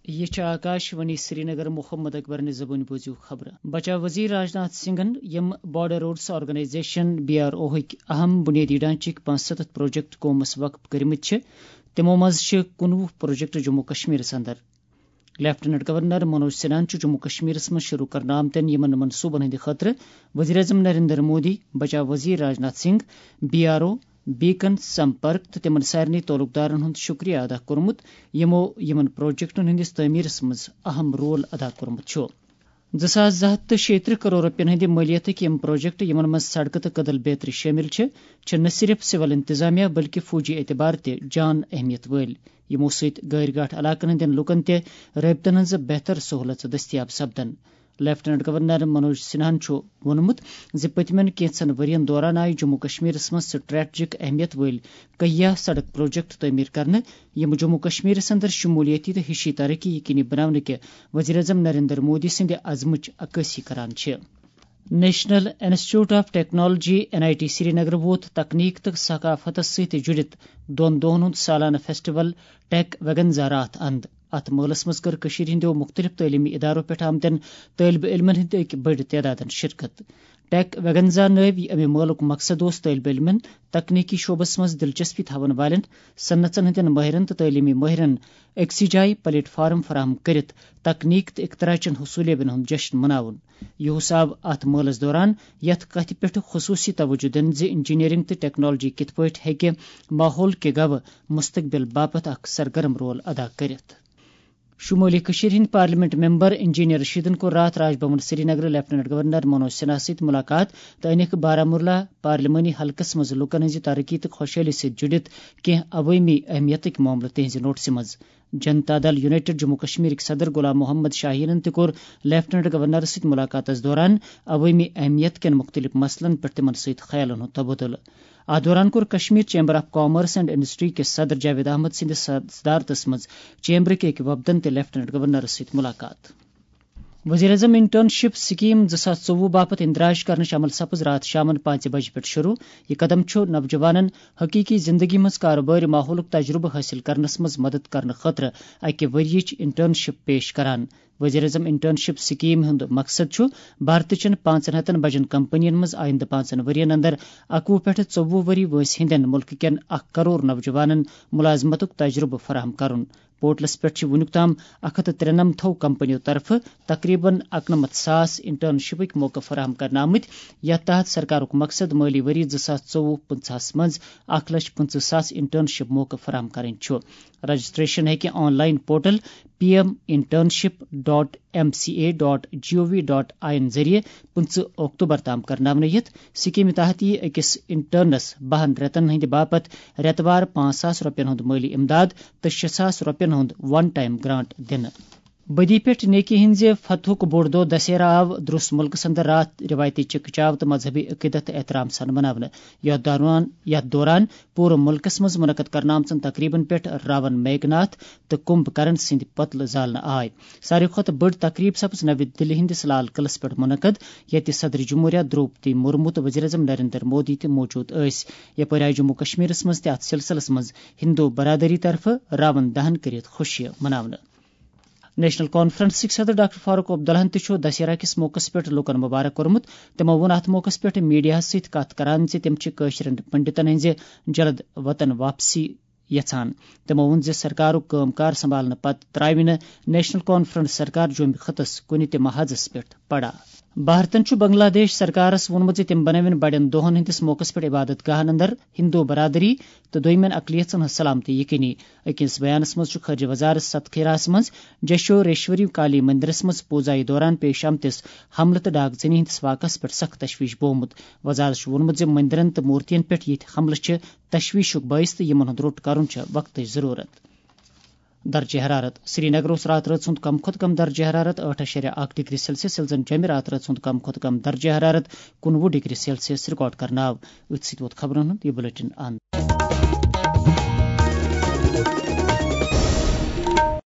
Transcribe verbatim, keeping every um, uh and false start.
یہِ چھِ آکاش وانی سرینگر۔ محمد اکبرنہِ زبٲنۍ بوٗزِو خبرٕ۔ بچاو وزیر راجناتھ سنگھن یِم بارڈر روڈس آرگنائزیشن، بی آر او ہٕکۍ اہم بنیٲدی ڈھانچٕکۍ پانٛژھ سَتَتھ پروجیکٹ قومس وقف کٔرمٕتۍ چھِ، تِمو منٛز چھِ کُنوُہ پروجیکٹ جموں کشمیرس اندر۔ لیفٹیننٹ گورنر منوج سنہاہن چھُ جموں کشمیرس منٛز شروع کرنہٕ آمتٮ۪ن یِمن منصوٗبن ہٕنٛدِ خٲطرٕ وزیر اعظم نریندر مودی، بچاو وزیر Rajnath Singh, B R O, Beacon Sampark تہٕ تِمن سارنٕے تعلقدارن ہُنٛد شُکریہ ادا کوٚرمُت، یِمو یِمن پروجیکٹن ہٕنٛدِس تعمیرس منٛز اہم رول ادا کوٚرمُت چھُ۔ زٕ ساس زٕ ہَتھ تہٕ شیٚیہِ ترٕٛہ کرور رۄپین ہٕنٛدِ مٲلیتٕکۍ یِم پروجیکٹ، یِمن منٛز سڑکہٕ تہٕ کدل بیترِ شٲمِل چھِ، چھِ نہ صرف سول انتظامیہ بلکہِ فوجی اعتبار تہِ جان اہمیت وٲلۍ، یِمو سۭتۍ غٲرۍ گاٹھ علاقن ہٕنٛدٮ۪ن لوٗکن تہِ رٲبطن ہٕنٛز بہتر سہولژ دٔستیاب سپدن۔ لیفٹیننٹ گورنر منوج سنہاہن چھُ ووٚنمُت زِ پٔتمٮ۪ن کینٛژن ؤرین دوران آیہِ جموں کشمیرس منٛز سٹریٹجک اہمیت وٲلۍ کہیا سڑک پروجیکٹ تعمیٖر کرنہٕ، یِم جموں کشمیرس اندر شمولیتی تہٕ ہشی ترقی یقینی بناونہٕ کہِ وزیر اعظم نریندر مودی سٕنٛدِ عزمٕچ عکٲسی کران چھِ۔ National institute of technology, N I T Srinagar ووت تکنیک تہٕ ثقافتس سۭتۍ جُڑِتھ دۄن دۄہن ہُنٛد سالانہٕ فیسٹیول ٹیک ویگنزا راتھ اند۔ اتھ مٲلس منٛز کٔر کٔشیٖرِ ہٕنٛدیو مُختٔلِف تعلیٖمی ادارو پٮ۪ٹھ آمتٮ۪ن طٲلبہِ علمن ہٕنٛدۍ أکۍ بٔڑۍ تعدادن شرکت۔ ٹیک ویگنزا نٲوۍ اَمہِ مٲلُک مقصد اوس طٲلبہِ علمن، تکنیکی شعبس منٛز دلچسپی تھاون والٮ۪ن، صنعژن ہٕنٛدٮ۪ن مٲہرن تہٕ تعلیٖمی مٲہرن أکسٕے جایہِ پلیٹ فارم فراہم کٔرِتھ تکنیک تہٕ اختراعچن حصولیابین ہُنٛد جشن مناوُن۔ یہِ حصہٕ آو اتھ مٲلس دوران یتھ کتھِ پٮ۪ٹھ خصوصی توجہ دِنہٕ زِ انجینئرنگ تہٕ ٹیکنالوجی کِتھ پٲٹھۍ ہیٚکہِ ماحول کہِ گوٕ مستقبل باپتھ اکھ سرگرم رول ادا کٔرِتھ۔ شمٲلی کٔشیٖرِ ہٕنٛدۍ پارلیمنٹ ممبر انجینئر رشیدن کوٚر راتھ راج بھون سرینگرٕ لیفٹیننٹ گورنر منوج سنہا سۭتۍ مُلاقات تہٕ أنِکھ بارہمولہ پارلیمانی حلقس منٛز لوٗکن ہٕنٛزِ ترقی تہٕ خۄشحٲلی سۭتۍ جُڑِتھ کینٛہہ عوٲمی اہمیتٕکۍ معاملہٕ تِہنٛزِ نوٹسہِ منٛز۔ جنتا دل یونائیٹڈ جموں کشمیرٕکۍ صدر غلام محمد شاہیٖنن تہِ کوٚر لیفٹیننٹ گورنرس سۭتۍ مُلاقاتس دوران عوٲمی اہمیت کٮ۪ن مُختٔلِف مسلن پٮ۪ٹھ تِمن سۭتۍ خیالن ہُنٛد تبادلہٕ۔ اتھ دوران کوٚر Kashmir chamber of commerce and industry کِس صدر جاوید احمد سٕنٛدِس صدارتس منٛز چیمبرٕکۍ أکۍ وفدن تہِ لیفٹیننٹ گورنرس سۭتۍ مُلاقات۔ وزیر اعظم انٹرنشپ سکیم زٕ ساس ژوٚوُہ باپتھ اندراج کرنٕچ عمل سپٕز راتھ شامن پانٛژِ بجہِ پٮ۪ٹھ شروع۔ یہِ قدم چھُ نوجوانن حقیقی زندگی منٛز کارٕبٲرۍ ماحولُک تجربہٕ حٲصِل کرنس منٛز مدد کرنہٕ خٲطرٕ اکہِ ؤرۍ یِچ انٹرنشپ پیش کران۔ وزیر اعظم انٹرنشپ سکیم ہُنٛد مقصد چھُ بھارتٕچن پانٛژن ہتن بجن کمپنین منٛز آیندٕ پانٛژن ؤرین اندر اَکوُہ پٮ۪ٹھ ژوٚوُہ ؤری وٲنٛسہِ ہٕنٛدٮ۪ن مُلکہٕ کٮ۪ن اکھ کرور نوجوانن ملازمتُک تجربہٕ فراہم کرُن۔ پورٹلس پٮ۪ٹھ چھِ وُنیُک تام اکھ ہتھ تہٕ ترٛنمتھو کمپنیو طرفہٕ تقریباً اَکنَمَتھ ساس انٹرنشپٕکۍ موقعہٕ فراہم کرنہٕ آمٕتۍ، یتھ تحت سرکارُک مقصد مٲلی ؤری زٕ ساس ژوٚوُہ پٕنٛژٕہَس منٛز اکھ لچھ پٕنٛژٕہ ساس انٹرنشپ موقعہٕ فراہم کرٕنۍ چھُ۔ رجسٹریشن ہیٚکہِ online portal P M internship dot M C A dot G O V dot I N ذٔریعہٕ پٕنٛژٕہ اکتوبر تام کرناونہٕ یِتھ۔ سکیمہِ تحت یِیہِ أکِس انٹرنس بَہَن رٮ۪تن ہٕنٛدِ باپتھ رٮ۪تہٕ وار پانٛژھ ساس رۄپین ہُنٛد مٲلی امداد تہٕ شےٚ ساس رۄپین ہُنٛد ون ٹائم گرانٹ دِنہٕ۔ بدی پٮ۪ٹھ نیکی ہٕنٛزِ فتحُک بوٚڑ دۄہ دسہرہ آو درٛوس مُلکس اندر راتھ رِوایتی چکہ چاو تہٕ مذہبی عقیدت تہٕ احترام سان مناونہٕ۔ یتھ دوران، یتھ دوران پوٗرٕ مُلکس منٛز منعقد کرنہٕ آمژن تقریبن پٮ۪ٹھ راون میگھ ناتھ تہٕ کمبھ کرن سٕنٛدۍ پتلہٕ زالنہٕ آے۔ ساروی کھۄتہٕ بٔڑ تقریب سپٕز نوِ دِلہِ ہٕنٛدِس لال قلعس پٮ۪ٹھ منعقد، ییٚتہِ صدر جمہوریہ درٛوپدی مرمو تہٕ وزیر اعظم نریندر مودی تہِ موجود ٲسۍ۔ یپٲرۍ آیہِ جموں کشمیرس منٛز تہِ اتھ سلسلس منٛز ہندو برادری طرفہٕ راون دہن کٔرِتھ خوشی مناونہٕ۔ نیشنل کانفرنسٕکۍ صدر ڈاکٹر فاروق عبداللہن تہِ چھُ دسہرہ کِس موقعس پٮ۪ٹھ لوٗکن مبارک کوٚرمُت۔ تِمو ووٚن اتھ موقعس پٮ۪ٹھ میڈیاہس سۭتۍ کتھ کران زِ تِم چھِ کٲشرٮ۪ن پنڈتن ہٕنٛزِ جلد وطن واپسی یژھان۔ تِمو ووٚن زِ سرکارُک کٲم کار سنبھالنہٕ پتہٕ ترٛاوِ نہٕ نیشنل کانفرنس سرکار جوٚمہِ خطس کُنہِ تہِ محاذس پٮ۪ٹھ پڑا۔ بھارتن چھُ بنگلہ دیش سرکارس ووٚنمُت زِ تِم بنٲوِن بڑٮ۪ن دۄہن ہٕنٛدِس موقعس پٮ۪ٹھ عبادت گاہن اندر ہندو برادری تہٕ دوٚیمٮ۪ن اقلیژن ہٕنٛز سلامتی یقینی۔ أکِس بیانس منٛز چھُ خارجہ وزارت ستکھیراہس منٛز جشوریشوری کالی مندرس منٛز پوٗزایہِ دوران پیش آمتِس حملہٕ تہٕ ڈاکہٕ زنی ہٕنٛدِس واقعس پٮ۪ٹھ سخت تشویش بوومُت۔ وزارت چھُ ووٚنمُت زِ مندرن تہٕ مورتین پٮ۪ٹھ یِتھۍ حملہٕ چھِ تشویشُک باعث تہٕ یِمن ہُنٛد روٚٹ کرُن چھُ وقتٕچ ضروٗرت۔ درجہ حرارت۔ سرینگر اوس راتہٕ رٲژ ہُنٛد کم کھۄتہٕ کم درجہ حرارت ٲٹھ اَشاریہ اکھ ڈگری سیلسیس، ییٚلہِ زن جوٚمہِ راتہٕ رٲژ ہُنٛد کم کھۄتہٕ کم درجہ حرارت کُنوُہ ڈگری سیلسیس ریکارڈ کرنہٕ آو۔ أتھۍ سۭتۍ ووت خبرن ہُنٛد یہِ بلیٹن اند۔